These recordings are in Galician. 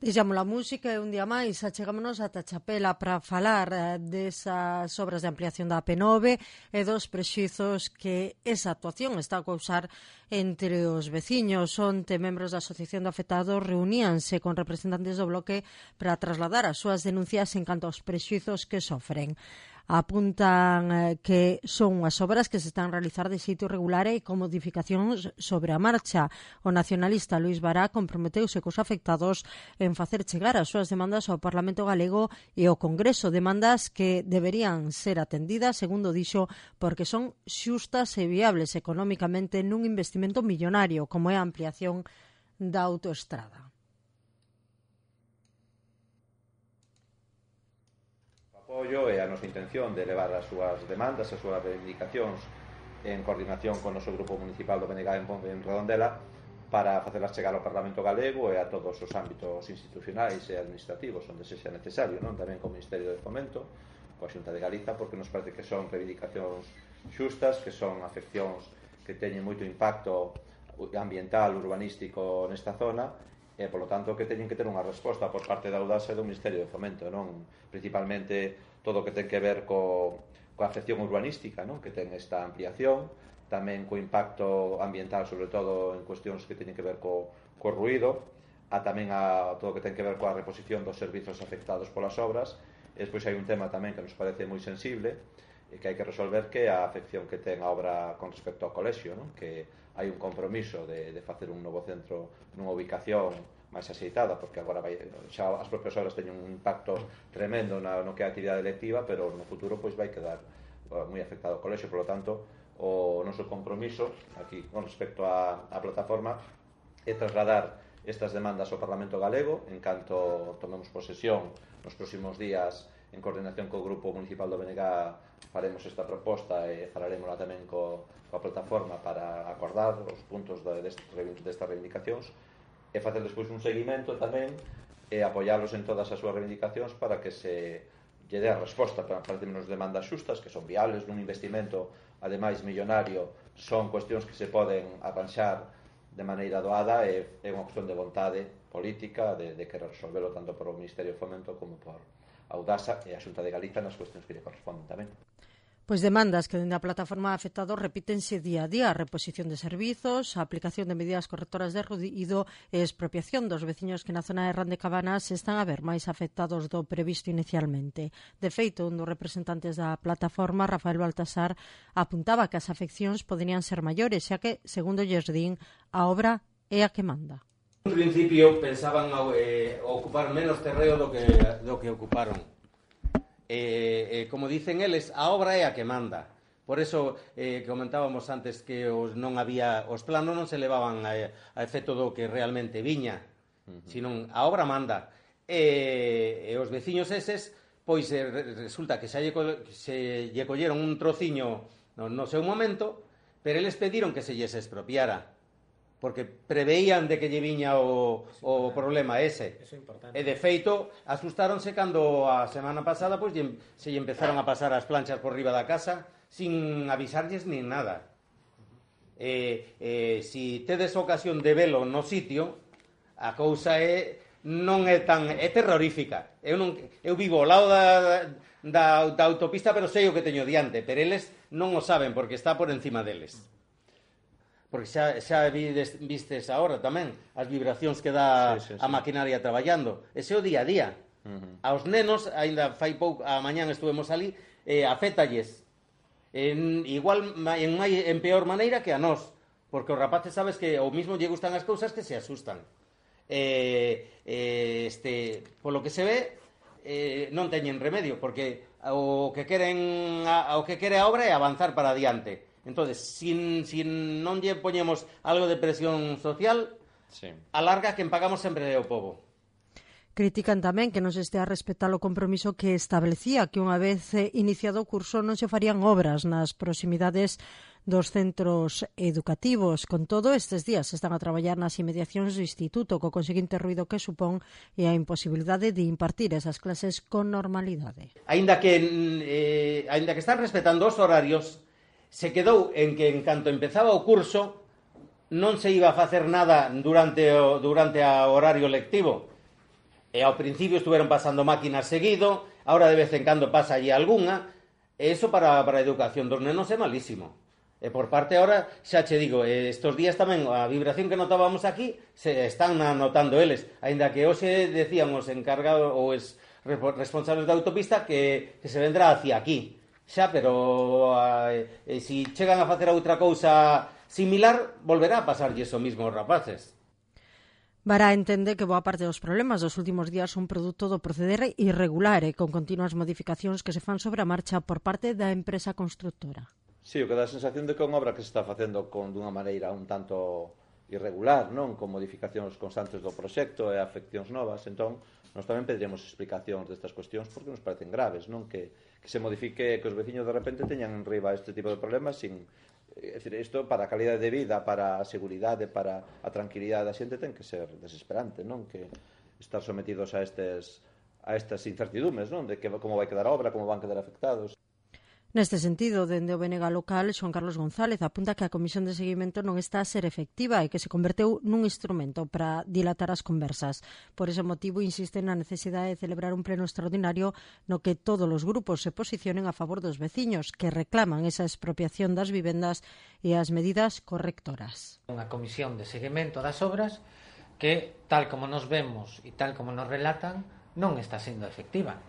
Deixamos a música e un día máis achegámonos ata Chapela para falar desas obras de ampliación da AP9 e dos prexuizos que esa actuación está a causar entre os veciños. Onte, membros da Asociación de Afectados reuníanse con representantes do bloque para trasladar as súas denuncias en canto aos prexuizos que sofren. Apuntan que son unhas obras que se están a realizar de xeito irregular e con modificacións sobre a marcha. O nacionalista Luís Bará comprometeuse cos afectados en facer chegar as súas demandas ao Parlamento Galego e ao Congreso, demandas que deberían ser atendidas, segundo dixo, porque son xustas e viables económicamente nun investimento millonario como é a ampliación da autoestrada. Apoio e a nosa intención de levar as súas demandas, as súas reivindicacións en coordinación con o noso grupo municipal do BNG en Redondela para facelas chegar ao Parlamento Galego e a todos os ámbitos institucionais e administrativos onde sexa necesario, non? Tamén co Ministerio de Fomento, coa Xunta de Galiza, porque nos parece que son reivindicacións xustas, que son afeccións que teñen moito impacto ambiental, urbanístico nesta zona e, polo tanto, que teñen que ter unha resposta por parte da Audasa e do Ministerio de Fomento, non? Principalmente todo o que ten que ver coa afección urbanística, non? Que ten esta ampliación, tamén co impacto ambiental, sobre todo en cuestións que teñen que ver co ruído, tamén a todo o que ten que ver coa reposición dos servizos afectados polas obras. E despois hai un tema tamén que nos parece moi sensible e que hai que resolver, que é a afección que ten a obra con respecto ao colexio, non? Que hai un compromiso de facer un novo centro nunha ubicación máis axeitada, porque agora xa as propias obras teñen un impacto tremendo no que é a actividade electiva, pero no futuro pois vai quedar moi afectado o colexio. Por lo tanto, o noso compromiso aquí con respecto á plataforma é trasladar estas demandas ao Parlamento Galego en canto tomemos posesión nos próximos días. En coordinación co Grupo Municipal do BNG faremos esta proposta e falaremos tamén coa plataforma para acordar os puntos destas reivindicacións e facer despois un seguimento tamén e apoiarlos en todas as súas reivindicacións para que se lle dé a resposta para menos demandas xustas, que son viables nun investimento ademais millonario. Son cuestións que se poden arranxar de maneira doada e é unha cuestión de vontade política de querer resolverlo tanto por o Ministerio de Fomento como por Audasa e a Xunta de Galiza nas cuestións que lle corresponden tamén. Pois demandas que dende a plataforma afectados repítense día a día: a reposición de servizos, a aplicación de medidas correctoras de ruído e expropiación dos veciños que na zona de Rande Cabanas están a ver máis afectados do previsto inicialmente. De feito, un dos representantes da plataforma, Rafael Baltasar, apuntaba que as afeccións poderían ser maiores, xa que, segundo Yersdín, a obra é a que manda. En principio pensaban ocupar menos terreo do que ocuparon. Como dicen eles, a obra é a que manda. Por eso comentábamos antes que os planos non se levaban a efecto do que realmente viña, sino a obra manda. E os veciños eses, pois resulta que se lle colleron un trociño no seu momento, pero eles pediron que se lles expropiara, porque preveían de que lle viña o problema ese. E de feito, asustáronse cando a semana pasada pois se lle empezaron a pasar as planchas por riba da casa sin avisarlles nin nada. Si tedes ocasión de velo no sitio, a cousa non é terrorífica. Eu vivo ao lado da autopista, pero sei o que teño diante, pero eles non o saben porque está por encima deles. Porque xa vistes agora tamén as vibracións que dá a maquinaria traballando. Ese é o día a día. Aos nenos, aínda fai pouco, a mañán estuvemos ali, afétalles igual en peor maneira que a nós, porque os rapaces sabes que ao mismo lle gustan as cousas que se asustan. Polo que se ve, non teñen remedio, porque o que quere a obra é avanzar para adiante. Entonces, si non lle poñemos algo de presión social, a larga quen pagamos sempre é o pobo. Critican tamén que non se estea a respetar o compromiso que establecía que unha vez iniciado o curso non se farían obras nas proximidades dos centros educativos. Con todo, estes días están a traballar nas inmediacións do instituto co conseguinte ruído que supón e a imposibilidade de impartir esas clases con normalidade. Aínda que están respetando os horarios, se quedou en que en canto empezaba o curso non se iba a facer nada durante o horario lectivo. E ao principio estuveron pasando máquinas seguido, ahora de vez en cando pasa allí algunha, e iso para a educación dos nenos é malísimo. E por parte ahora, xa che digo, estes días tamén a vibración que notábamos aquí se están notando eles, aínda que hoxe decían os encargados ou os responsables da autopista que se vendrá hacia aquí. Xa, pero se chegan a facer outra cousa similar, volverá a pasarlle iso mismo aos rapaces. Bará entende que boa parte dos problemas dos últimos días son produto do proceder irregular e con continuas modificacións que se fan sobre a marcha por parte da empresa constructora. Sí, o que dá a sensación de que é unha obra que se está facendo dunha maneira un tanto irregular, non? Con modificacións constantes do proxecto e afeccións novas. Entón, nós tamén pediríamos explicacións destas cuestións porque nos parecen graves, non? Que se modifique, que os veciños de repente teñan en riba este tipo de problemas sin... É dicir, isto para a calidade de vida, para a seguridade, para a tranquilidade da xente ten que ser desesperante, non? Que estar sometidos a estas incertidumes, non? De que como vai quedar a obra, como van quedar afectados. Neste sentido, dende o BNG local, Xoán Carlos González apunta que a Comisión de Seguimento non está a ser efectiva e que se converteu nun instrumento para dilatar as conversas. Por ese motivo, insiste na necesidade de celebrar un pleno extraordinario no que todos os grupos se posicionen a favor dos veciños que reclaman esa expropiación das vivendas e as medidas correctoras. Unha comisión de seguimento das obras que, tal como nos vemos e tal como nos relatan, non está sendo efectiva.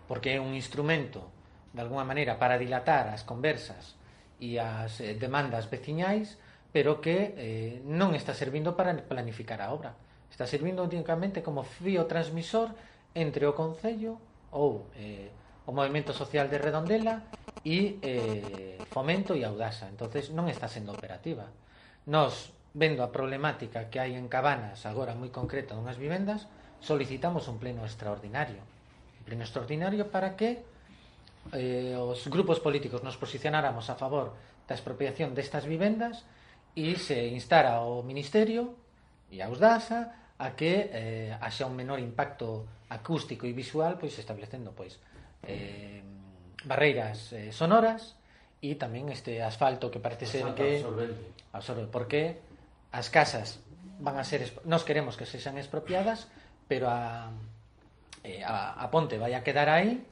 Porque é un instrumento de alguna maneira para dilatar as conversas e as demandas veciñais, pero que non está servindo para planificar a obra. Está servindo únicamente como fío transmisor entre o Concello ou o Movemento Social de Redondela e Fomento e Audasa. Entonces non está sendo operativa. Nós, vendo a problemática que hai en Cabanas, agora moi concreta dunhas vivendas, solicitamos un pleno extraordinario. Un pleno extraordinario para que os grupos políticos nos posicionáramos a favor da expropiación destas vivendas e se instara ao Ministerio e a Audasa a que haxa un menor impacto acústico e visual, pois establecendo barreiras sonoras e tamén este asfalto que parece ser que absorbe, porque as casas van a ser, nós queremos que sexan expropiadas, pero a ponte vai a quedar aí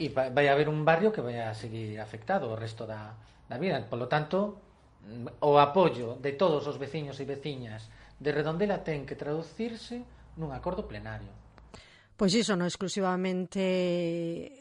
e vai haber un barrio que vai a seguir afectado o resto da vida. Por lo tanto, o apoio de todos os veciños e veciñas de Redondela ten que traducirse nun acordo plenario. Pois iso non exclusivamente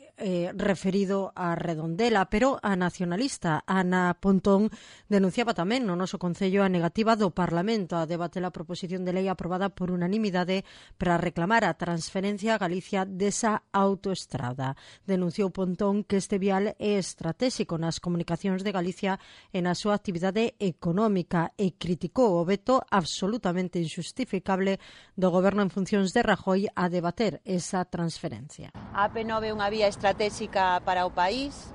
referido a Redondela, pero a nacionalista Ana Pontón denunciaba tamén no noso Concello a negativa do Parlamento a debater a proposición de lei aprobada por unanimidade para reclamar a transferencia a Galicia desa autoestrada. Denunciou Pontón que este vial é estratéxico nas comunicacións de Galicia e na súa actividade económica e criticou o veto absolutamente injustificable do goberno en funcións de Rajoy a debater esa transferencia. A AP9 é unha vía estratégica para o país,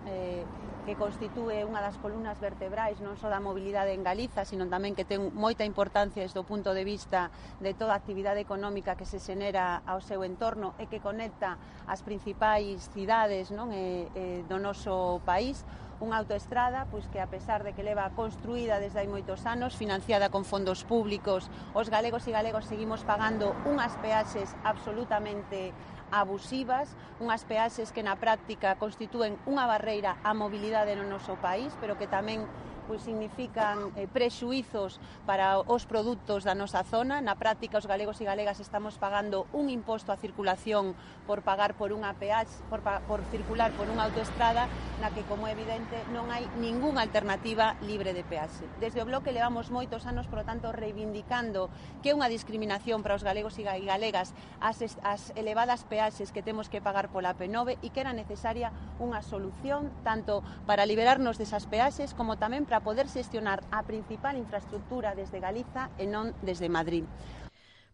que constitúe unha das columnas vertebrais non só da mobilidade en Galiza, sino tamén que ten moita importancia desde o punto de vista de toda a actividade económica que se xenera ao seu entorno e que conecta as principais cidades, non, do noso país. Unha autoestrada pois que, a pesar de que leva construída desde hai moitos anos, financiada con fondos públicos, os galegos e galegas seguimos pagando unhas peaxes absolutamente abusivas, unhas peaxes que na práctica constitúen unha barreira á mobilidade no noso país, pero que tamén pois significan prexuizos para os produtos da nosa zona. Na práctica, os galegos e galegas estamos pagando un imposto á circulación por pagar por unha peaxe, por circular por unha autoestrada na que, como é evidente, non hai ningunha alternativa libre de peaxe. Desde o Bloque levamos moitos anos, por lo tanto, reivindicando que é unha discriminación para os galegos e galegas as elevadas peaxes que temos que pagar pola AP9 e que era necesaria unha solución tanto para liberarnos desas peaxes como tamén para poder xestionar a principal infraestructura desde Galiza e non desde Madrid.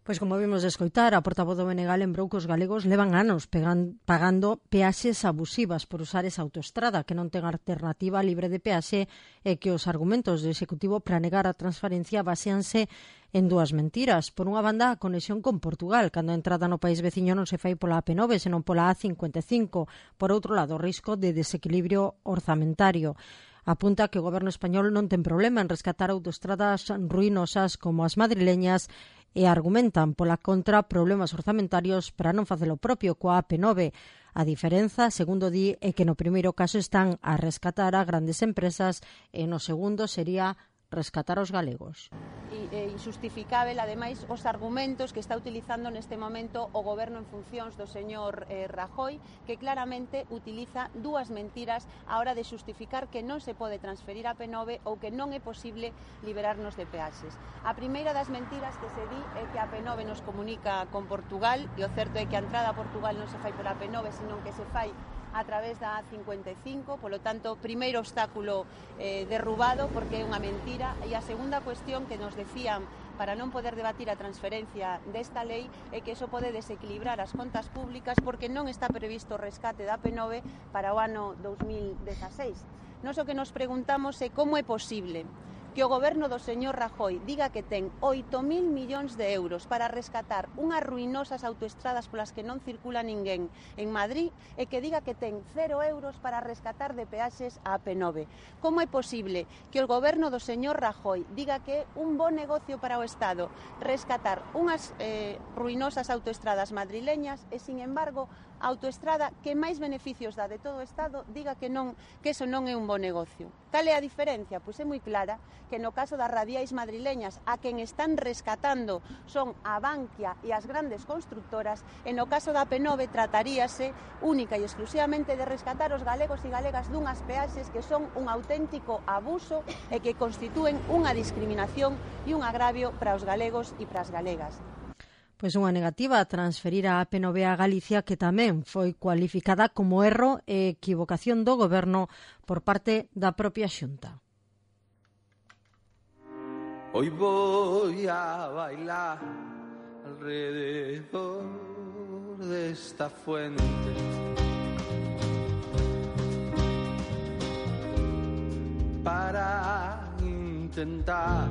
Pois como vimos de escoitar, a portavoz do BNG lembrou que os galegos levan anos pagando peaxes abusivas por usar esa autoestrada que non ten alternativa libre de peaxe e que os argumentos do Executivo para negar a transferencia baseanse en dúas mentiras. Por unha banda, a conexión con Portugal, cando a entrada no país veciño non se fai pola AP9, senón pola A55. Por outro lado, o risco de desequilibrio orzamentario. Apunta que o goberno español non ten problema en rescatar autoestradas ruinosas como as madrileñas e argumentan pola contra problemas orzamentarios para non facer o propio coa AP9. A diferenza, segundo di, é que no primeiro caso están a rescatar a grandes empresas e no segundo sería rescatar aos galegos. Injustificável, ademais, os argumentos que está utilizando neste momento o goberno en funcións do señor Rajoy, que claramente utiliza dúas mentiras á hora de xustificar que non se pode transferir a P9 ou que non é posible liberarnos de peaxes. A primeira das mentiras que se di é que a P9 nos comunica con Portugal, e o certo é que a entrada a Portugal non se fai pola P9, senón que se fai a través da A55, polo tanto, primeiro obstáculo derrubado, porque é unha mentira. E a segunda cuestión que nos decían para non poder debatir a transferencia desta lei é que iso pode desequilibrar as contas públicas porque non está previsto o rescate da P9 para o ano 2016. Nós o que nos preguntamos é como é posible que o goberno do señor Rajoy diga que ten 8.000 millóns de euros para rescatar unhas ruinosas autoestradas polas que non circula ninguén en Madrid e que diga que ten 0 euros para rescatar de peaxes a AP9. Como é posible que o goberno do señor Rajoy diga que é un bon negocio para o Estado rescatar unhas ruinosas autoestradas madrileñas e, sin embargo, a autoestrada que máis beneficios dá de todo o Estado diga que eso non é un bon negocio? Cal é a diferencia? Pois é moi clara, que no caso das radiais madrileñas a quen están rescatando son a Bankia e as grandes constructoras, e no caso da P9 trataríase única e exclusivamente de rescatar os galegos e galegas dunhas peaxes que son un auténtico abuso e que constitúen unha discriminación e un agravio para os galegos e para as galegas. Pois unha negativa a transferir a AP9 a Galicia que tamén foi cualificada como erro e equivocación do goberno por parte da propia Xunta. Hoy voy a bailar alrededor de esta fuente para intentar